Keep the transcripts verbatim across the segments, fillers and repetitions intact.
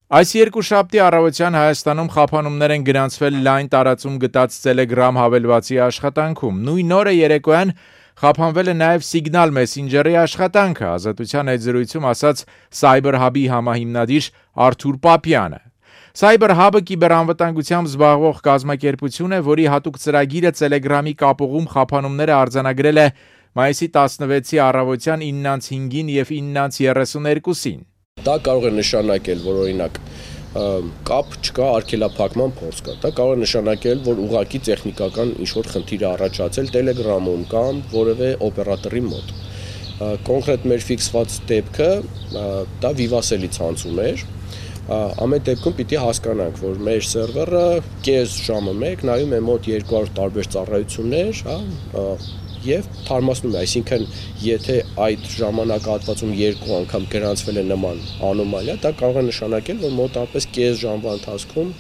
Այս երկուշաբթի առավոտյան Հայաստանում խափանումներ են գրանցվել լայն տարածում գտած Telegram հավելվածի աշխատանքում։ Նույն օրը երեկոյան խափանվել է նաև Signal Messenger-ի աշխատանքը, Ազատության հետ զրույցում ասաց Cyber Hub-ի համահիմնադիր Արթուր Պապյանը։ Cyber Hub-ը կիբերանվտանգությամբ զբաղվող կազմակերպություն է, որի հատուկ ծրագիրը Telegram-ի կապուղում խափանումները արձանագրել է մայիսի տասնվեցի առավոտյան իննից հինգին եւ իննից երեսուներկուսին։ Դա կարող է նշանակել, որ օրինակ կապ չկա, արգելափակման փորձ կա։ Դա կարող է նշանակել, որ ուղղակի տեխնիկական ինչ-որ խնդիր է առաջացել Telegram-ում կամ որևէ օպերատորի մոտ։ Կոնկրետ մեր ֆիքսված դեպքը դա վիվասելի ցանցում էր։ Ամեն դեպքում պիտի հասկանանք, որ մեր սերվերը կես ժամը մեկ նայում է մոտ երկու հարյուր տարբեր ծառայություններ, հա, եւ թարմացնում է, այսինքն եթե այդ ժամանակահատվածում երկու անգամ գրանցվել է նման անոմալիա, դա կարող է նշանակել, որ մոտավորապես կես ժամվա ընթացքում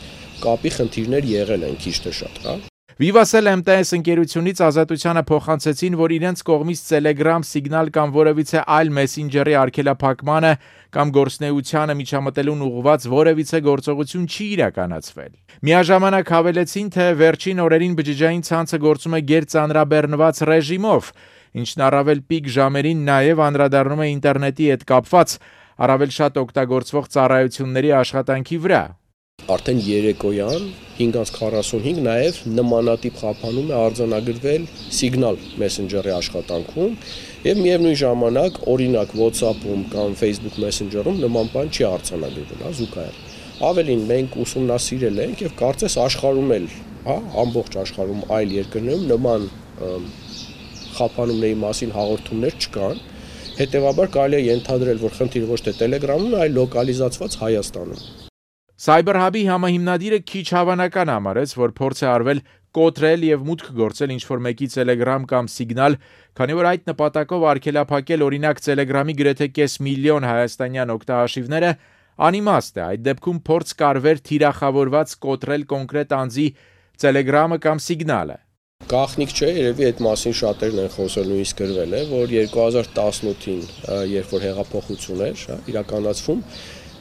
կապի խնդիրներ եղել են քիչ թե շատ, հա։ Vivatel M T S ընկերությունից Ազատությանը փոխանցեցին, որ իրենց կողմից Telegram, Signal կամ որևիցե այլ Messenger-ի արգելափակմանը կամ գործնեությանը միջամտելուն ուղղված որևիցե գործողություն չի իրականացվել։ Միաժամանակ հավելեցին, թե վերջին օրերին բջջային ցանցը գործում է գերծանրաբեռնված ռեժիմով, ինչն առավել պիկ ժամերին նաև անդրադառնում է ինտերնետի հետ կապված առավել շատ օգտագործվող ծառայությունների աշխատանքի վրա։ Արդեն երեկոյան հինգից քառասունհինգ նաև նմանատիպ խափանում է արձանագրվել Signal Messenger-ի աշխատանքում եւ միևնույն ժամանակ օրինակ WhatsApp-ում կամ Facebook Messenger-ում նման բան չի արձանագրվել, հա, զուգահեռ։ Ավելին մենք ուսումնասիրել ենք եւ կարծես աշխարհում էլ, հա, ամբողջ աշխարհում այլ երկրներում նման խափանումների մասին հաղորդումներ չկան։ Հետևաբար կարելի է ենթադրել, որ խնդիրը ոչ թե Telegram-ում, այլ լոկալիզացված Հայաստանում։ Cyber Hub-ի համահիմնադիրը քիչ հավանական համարեց, որ փորձ է արվել կոտրել եւ մուտք գործել ինչ-որ մեկի Telegram կամ Signal, քանի որ այդ նպատակով արգելափակել օրինակ Telegram-ի գրեթե կես միլիոն հայաստանյան օգտահաշիվները անիմաստ է, այդ դեպքում փորձ կարվեր թիրախավորված կոտրել կոնկրետ անձի Telegram-ը կամ Signal-ը։ Գաղտնիք չէ, երևի այդ մասին շատերն են խոսել, նույնիսկ գրվել է, որ երկու հազար տասնութին, երբ որ հեղափոխություն էր, իրականացվում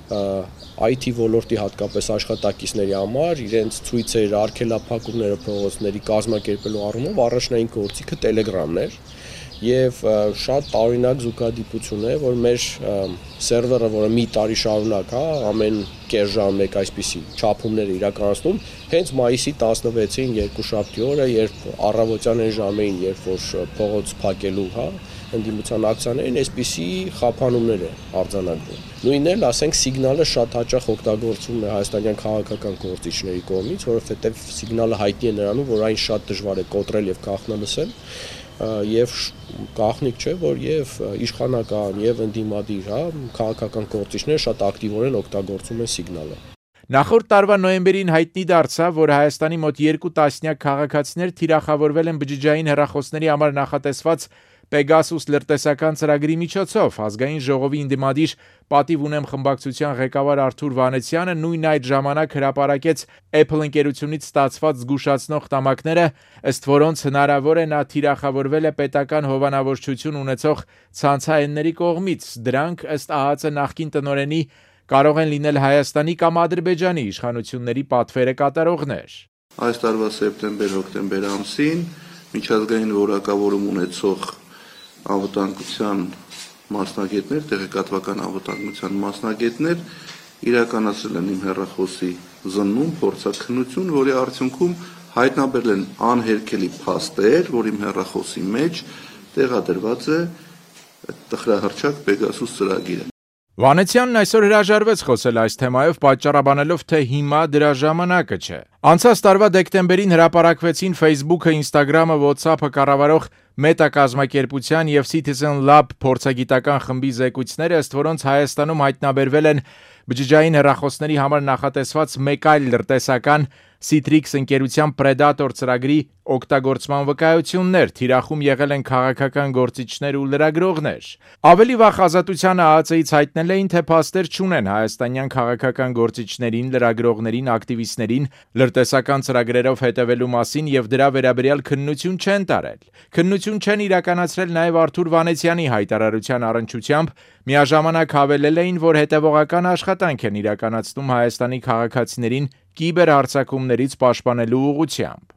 I T ոլորտի հատկապես աշխատակիցների համար իրենց ցույցեր, արգելափակումները փողոցների կազմակերպելու առումով առաջնային գործիքը Telegram-ն էր եւ շատ տարօրինակ զուգադիպություն է, որ մեր սերվերը, որը մի տարի շարունակ, հա, ամեն կես ժամ մեկ այսպիսի չափումներ իրականացնում, հենց մայիսի տասնվեցին երկուշաբթի օրը, երբ առավոտյան այն ժամերին, երբ որ փողոց փակելու, հա, ընդդիմության ակցիաներին այսպիսի խափանումներ է արձանագրվում։ Նույնն էլ, ասենք, Signal-ը շատ հաճախ օգտագործվում է հայաստանյան քաղաքական գործիչների կողմից, որովհետև Signal-ը հայտնի է նրանում, որ այն շատ դժվար է կոտրել եւ կանխնալսել, եւ գաղտնիք չէ, որ եւ իշխանական եւ ընդդիմադիր, հա, քաղաքական գործիչները շատ ակտիվորեն օգտագործում են Signal-ը։ Նախորդ տարվա նոյեմբերին հայտնի դարձավ, որ Հայաստանի մոտ երկու տասնյակ քաղաքացիներ թիրախավորվել են բջջային հեռախոսների համար նախատեսված Pegasus լրտեսական ծրագրի միջոցով։ Ազգային ժողովի ընդդիմադիր պատիվ ունեմ խմբակցության ղեկավար Արթուր Վանեցյանը նույն այդ ժամանակ հրապարակեց Apple ընկերությունից ստացված զգուշացնող տամակները, ըստ որոնց հնարավոր է նա թիրախավորվել է պետական հովանավորչություն ունեցող ցանցահենների կողմից։ Դրանք ըստ ԱՀԾ նախկին տնօրենի կարող են լինել Հայաստանի կամ Ադրբեջանի իշխանությունների պատվերը կատարողներ։ Այս տարվա սեպտեմբեր-հոկտեմբեր ամսին միջազգային որակավորում ունեցող անվտանգության մասնագետներ, տեղեկատվական անվտանգության մասնագետներ իրականացրել են իմ հեռախոսի զննում փորձաքննություն, որի արդյունքում հայտնաբերել են անհերքելի փաստեր, որ իմ հեռախոսի մեջ տեղադրված է տխրահռչակ Pegasus ծրագիրը։ Վանեցյանն այսօր հրաժարվեց խոսել այս թեմայով, պատճառաբանելով, թե հիմա դրա ժամանակը չէ։ Անցած տարվա դեկտեմբերին հրապարակվեցին Facebook-ը, Instagram-ը, WhatsApp-ը կառավարող Meta կազմակերպության եւ Citizen Lab փորձագիտական խմբի զեկույցները, ըստ որոնց Հայաստանում հայտնաբերվել են բջջային հեռախոսների համար նախատեսված մեկ այլ լրտեսական Citrix ընկերության Predator ծրագրի օգտագործման վկայություններ, թիրախում եղել են քաղաքական գործիչներ ու լրագրողներ։ Ավելի վաղ Ազատությանը ԱԱԾ-ից հայտնել էին, թե փաստեր չունեն հայաստանյան քաղաքական գործիչներին, լրագրողներին, ակտիվիստներին լրտեսական ծրագրերով հետևելու մասին եւ դրա վերաբերյալ քննություն չեն տարել։ Քննություն չեն իրականացրել նաեւ Արթուր Վանեցյանի հայտարարության առնչությամբ, միաժամանակ հավելել էին, որ հետևողական աշխատանք աշխատանք են իրականացնում Հայաստանի քաղաքացիներին կիբերհարձակումներից պաշտպանելու ուղղությամբ։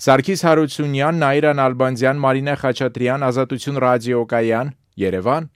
Սարգիս Հարությունյան, Նաիրա Նալբանդյան, Մարինե Խաչատրյան, Ազատություն ռադիոկայան, Երևան։